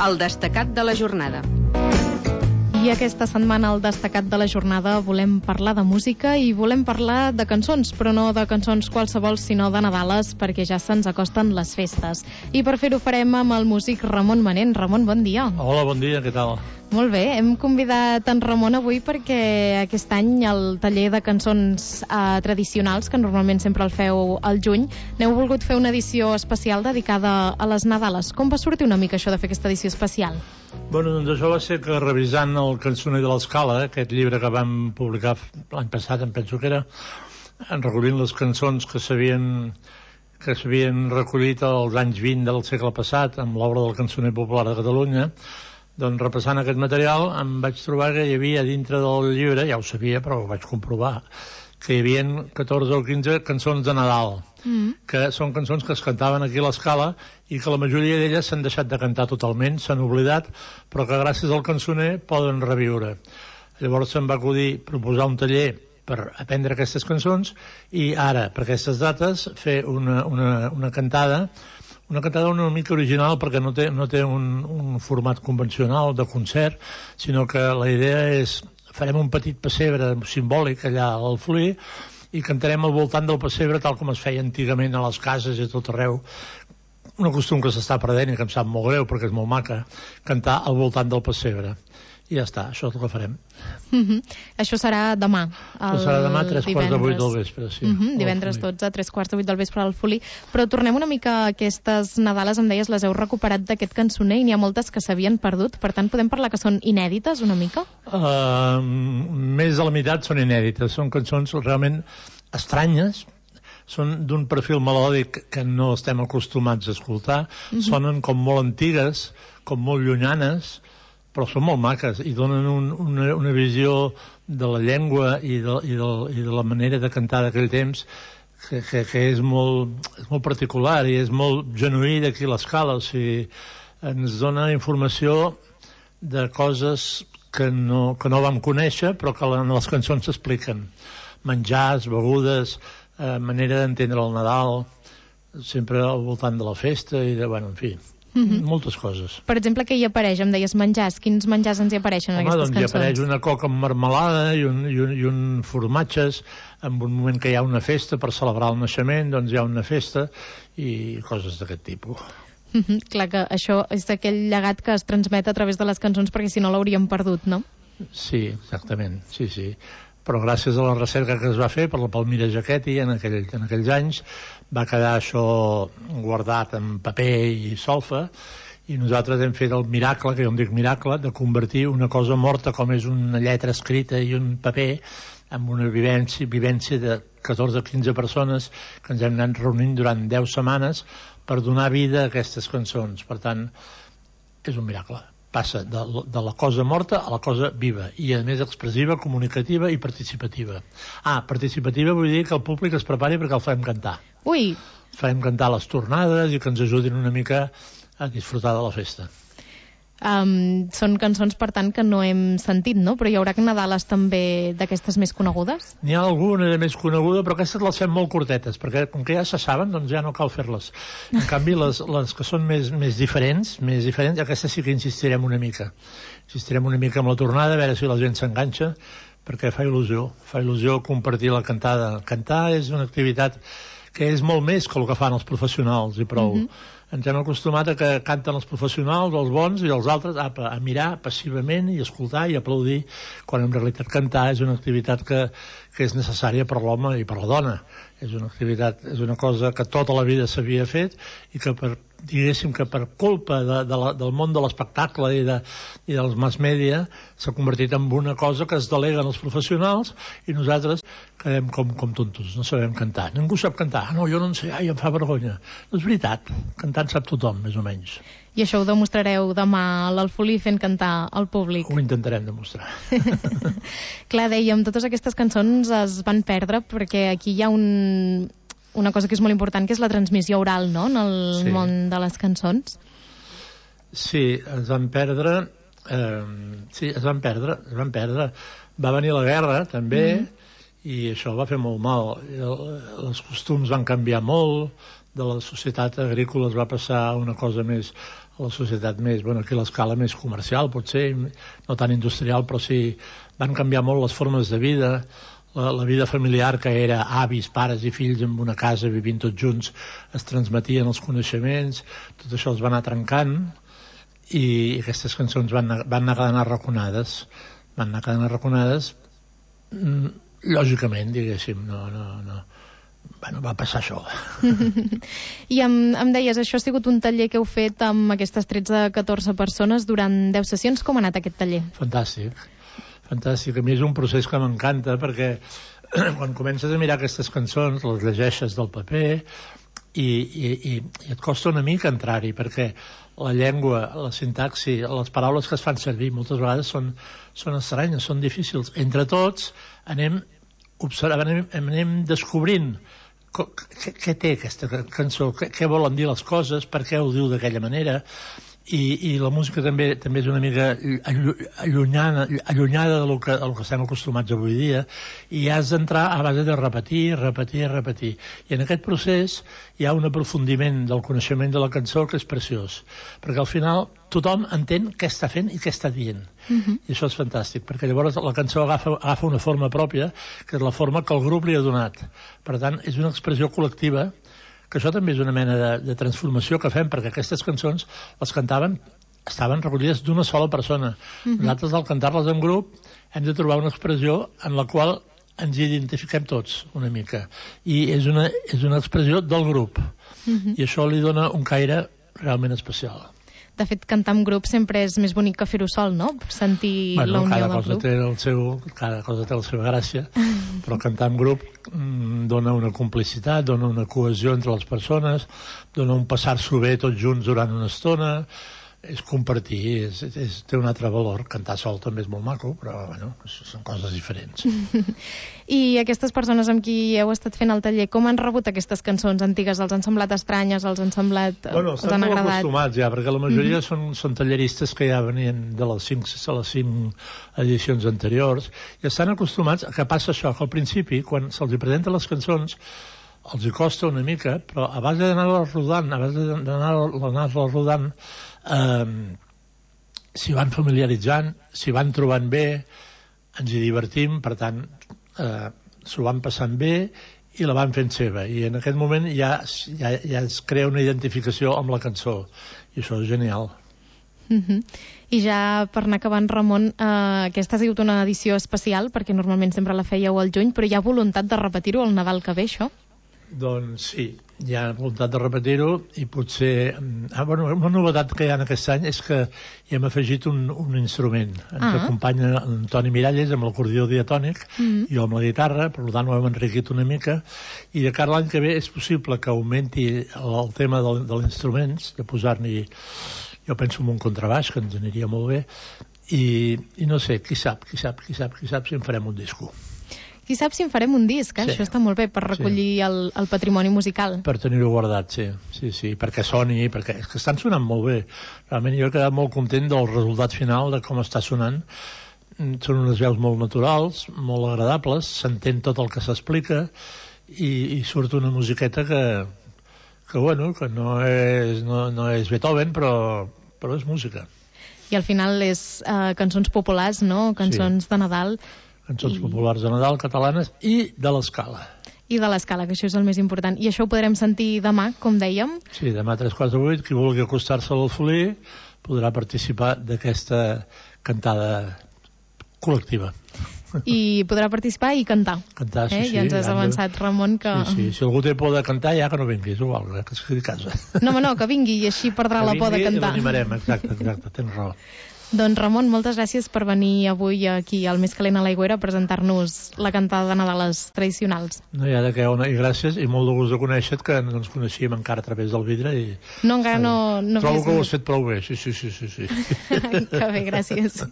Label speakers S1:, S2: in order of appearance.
S1: el destacat de la jornada.
S2: I aquesta setmana al destacat de la jornada volem parlar de música i volem parlar de cançons, però no de cançons qualsevol, sinó de Nadales, perquè ja se'ns acosten les festes. I per fer-ho farem amb el músic Ramon Manent. Ramon, bon dia.
S3: Hola, bon dia, què tal?
S2: Molt bé, hem convidat en Ramon avui perquè aquest any el taller de cançons tradicionals, que normalment sempre el feu al juny, n'heu volgut fer una edició especial dedicada a les Nadales. Com va sortir una mica això de fer aquesta edició especial?
S3: Bueno, doncs això va ser que revisant el Cançoner de l'Escala, aquest llibre que vam publicar l'any passat, em penso que era, recollint les cançons que s'havien recollit als anys 20 del segle passat amb l'obra del Cançoner Popular de Catalunya, doncs repassant aquest material em vaig trobar que hi havia dintre del llibre, ja ho sabia però ho vaig comprovar, que hi havia 14 o 15 cançons de Nadal, que són cançons que es cantaven aquí a l'Escala i que la majoria d'elles s'han deixat de cantar totalment, s'han oblidat, però que gràcies al cançoner poden reviure. Llavors se'm va acudir proposar un taller per aprendre aquestes cançons i ara, per aquestes dates, fer una cantada una mica original perquè no té un format convencional de concert, sinó que la idea és farem un petit pessebre simbòlic allà al Fluir i cantarem al voltant del pessebre tal com es feia antigament a les cases i a tot arreu. Un costum que s'està perdent i que em sap molt greu perquè és molt maca, cantar al voltant del pessebre. I ja està, això és el que farem.
S2: Això serà demà.
S3: Això serà demà a 7:45 del vespre, sí.
S2: Divendres 12 a 7:45 del vespre al Folí. Però tornem una mica a aquestes Nadales, em deies, les heu recuperat d'aquest cançoner i n'hi ha moltes que s'havien perdut, per tant podem parlar que són inèdites una mica?
S3: Més de la meitat són inèdites, són cançons realment estranyes, són d'un perfil melòdic que no estem acostumats a escoltar, sonen com molt antigues, com molt llunyanes, però són molt maques i donen una visió de la llengua i de la manera de cantar d'aquell temps que és molt particular i és molt genuí d'aquí a l'Escala. O sigui, ens dona informació de coses que no vam conèixer però que en les cançons s'expliquen. Menjars, begudes, manera d'entendre el Nadal, sempre al voltant de la festa i en fi, moltes coses.
S2: Per exemple, què hi apareix? Em deies menjars. Quins menjars ens hi apareixen en aquestes cançons?
S3: Hi apareix una coca amb marmelada i un formatges. En un moment que hi ha una festa per celebrar el naixement, doncs hi ha una festa i coses d'aquest tipus.
S2: Clar que això és aquell llegat que es transmet a través de les cançons perquè si no l'hauríem perdut, no?
S3: Sí, exactament, sí. Però gràcies a la recerca que es va fer per la Palmira Jaquetti en aquells anys va quedar això guardat en paper i solfa i nosaltres hem fet el miracle, que jo em dic miracle, de convertir una cosa morta com és una lletra escrita i un paper en una vivència de 14 o 15 persones que ens hem anat reunint durant 10 setmanes per donar vida a aquestes cançons. Per tant, és un miracle. Passa de la cosa morta a la cosa viva i a més expressiva, comunicativa i participativa. Participativa vull dir que el públic es prepari perquè el farem cantar.
S2: Ui!
S3: Farem cantar les tornades i que ens ajudin una mica a disfrutar de la festa.
S2: Són cançons, per tant, que no hem sentit, no? Però hi haurà Nadales també d'aquestes més conegudes?
S3: N'hi ha alguna de més coneguda, però aquestes les fem molt curtetes, perquè com que ja se saben, doncs ja no cal fer-les. En canvi, les que són més diferents, aquestes sí que insistirem una mica. Insistirem una mica amb la tornada, a veure si la gent s'enganxa, perquè fa il·lusió compartir la cantada. Cantar és una activitat que és molt més que el que fan els professionals i prou. Ens hem acostumat a que canten els professionals, els bons, i els altres a mirar passivament i escoltar i aplaudir, quan en realitat cantar és una activitat que és necessària per l'home i per la dona. És una activitat, és una cosa que tota la vida s'havia fet i que diguéssim que per culpa del món de l'espectacle i dels mass media s'ha convertit en una cosa que es deleguen els professionals i nosaltres quedem com tontos, no sabem cantar. Ningú sap cantar. No, jo no en sé, em fa vergonya. No és veritat, cantant sap tothom, més o menys.
S2: I això ho demostrareu demà a l'Alfolí fent cantar al públic.
S3: Ho intentarem demostrar.
S2: Clar, dèiem, totes aquestes cançons es van perdre perquè aquí hi ha una cosa que és molt important, que és la transmissió oral, no?, en el món de les cançons.
S3: Sí, es van perdre. Va venir la guerra, també, i això va fer molt mal. Els costums van canviar molt, de la societat agrícola es va passar a una cosa més, a la societat més, bueno, aquí a l'escala més comercial, potser, no tan industrial, però sí, van canviar molt les formes de vida, la vida familiar, que era avis, pares i fills en una casa vivint tots junts, es transmetien els coneixements, tot això es va anar trencant, i aquestes cançons van anar quedant arraconades, lògicament, diguéssim, no. Bueno, va passar això.
S2: I em deies, això ha sigut un taller que heu fet amb aquestes 13-14 persones durant 10 sessions. Com ha anat aquest taller?
S3: Fantàstic. A mi és un procés que m'encanta, perquè quan comences a mirar aquestes cançons, les llegeixes del paper i et costa una mica entrar-hi, perquè la llengua, la sintaxi, les paraules que es fan servir moltes vegades són estranyes, són difícils. Entre tots anem descobrint què té aquesta cançó, què volen dir les coses, per què ho diu d'aquella manera, i la música també és una mica allunyada del que estem acostumats avui dia, i has d'entrar a base de repetir. I en aquest procés hi ha un aprofundiment del coneixement de la cançó que és preciós, perquè al final tothom entén què està fent i què està dient. I això és fantàstic, perquè llavors la cançó agafa una forma pròpia, que és la forma que el grup li ha donat. Per tant, és una expressió col·lectiva, que això també és una mena de transformació que fem, perquè aquestes cançons les estaven recollides d'una sola persona. Nosaltres, al cantar-les en grup, hem de trobar una expressió en la qual ens identifiquem tots una mica, i és una expressió del grup, i això li dona un caire realment especial.
S2: De fet, cantar en grup sempre és més bonic que fer-ho sol, no? Sentir la unió del grup.
S3: Cada cosa té la seva gràcia, però cantar en grup dona una complicitat, dona una cohesió entre les persones, dona un passar-s'ho bé tots junts durant una estona, és compartir, té un altre valor. Cantar sol també és molt maco, però bueno, són coses diferents.
S2: I aquestes persones amb qui heu estat fent el taller, com han rebut aquestes cançons antigues? Els han semblat estranyes? Els han semblat...
S3: Bueno, estan molt acostumats ja, perquè la majoria són talleristes que ja venien de les 5 edicions anteriors, i estan acostumats a que passa això, que al principi, quan se'ls presenten les cançons, els hi costa una mica, però a base d'anar-les rodant, s'hi van familiaritzant, s'hi van trobant bé, ens hi divertim, per tant, s'ho van passant bé i la van fent seva. I en aquest moment ja es crea una identificació amb la cançó, i això és genial.
S2: I ja per anar acabant, Ramon, aquesta ha sigut una edició especial, perquè normalment sempre la fèieu al juny, però hi ha voluntat de repetir-ho al Nadal que ve, això?
S3: Doncs sí, hi ha voluntat de repetir-ho, i potser... una novetat que hi ha aquest any és que hi hem afegit un instrument. Ens acompanya Antoni Miralles amb l'acordió diatònic, i jo amb la guitarra, per tant ho hem enriquit una mica, i de cara a l'any que ve és possible que augmenti el tema de l'instruments, de posar-n'hi, jo penso en un contrabaix, que ens aniria molt bé, i no sé, qui sap si en farem un disco.
S2: Qui sap si en farem un disc, Això està molt bé per recollir el patrimoni musical.
S3: Per tenir-ho guardat, sí, perquè soni, perquè és que estan sonant molt bé. Realment jo he quedat molt content del resultat final, de com està sonant. Són unes veus molt naturals, molt agradables, s'entén tot el que s'explica, i surt una musiqueta que no és Beethoven, però és música.
S2: I al final és cançons populars, no? Cançons de Nadal.
S3: Cançons populars de Nadal, catalanes, i de l'escala.
S2: I de l'escala, que això és el més important. I això ho podrem sentir demà, com dèiem?
S3: Sí, demà a 3:45, qui vulgui acostar-se a l'Alfolí podrà participar d'aquesta cantada col·lectiva.
S2: I podrà participar i cantar.
S3: Cantar, sí.
S2: Ja ens has avançat, Ramon, que...
S3: Sí, si algú té por de cantar, ja que no vingui, és igual, que es quedi a casa.
S2: No, que vingui, i així perdrà la por de cantar.
S3: Que vingui i l'animarem, exacte, tens raó.
S2: Doncs, Ramon, moltes gràcies per venir avui aquí al Més Calent a l'Aigüera a presentar-nos la cantada de Nadales tradicionals.
S3: No hi ha de què, i gràcies, i molt de gust de conèixer-te, que no ens coneixíem encara a través del vidre.
S2: No, encara no...
S3: Trobo que ho has fet prou bé, sí.
S2: Que bé, gràcies.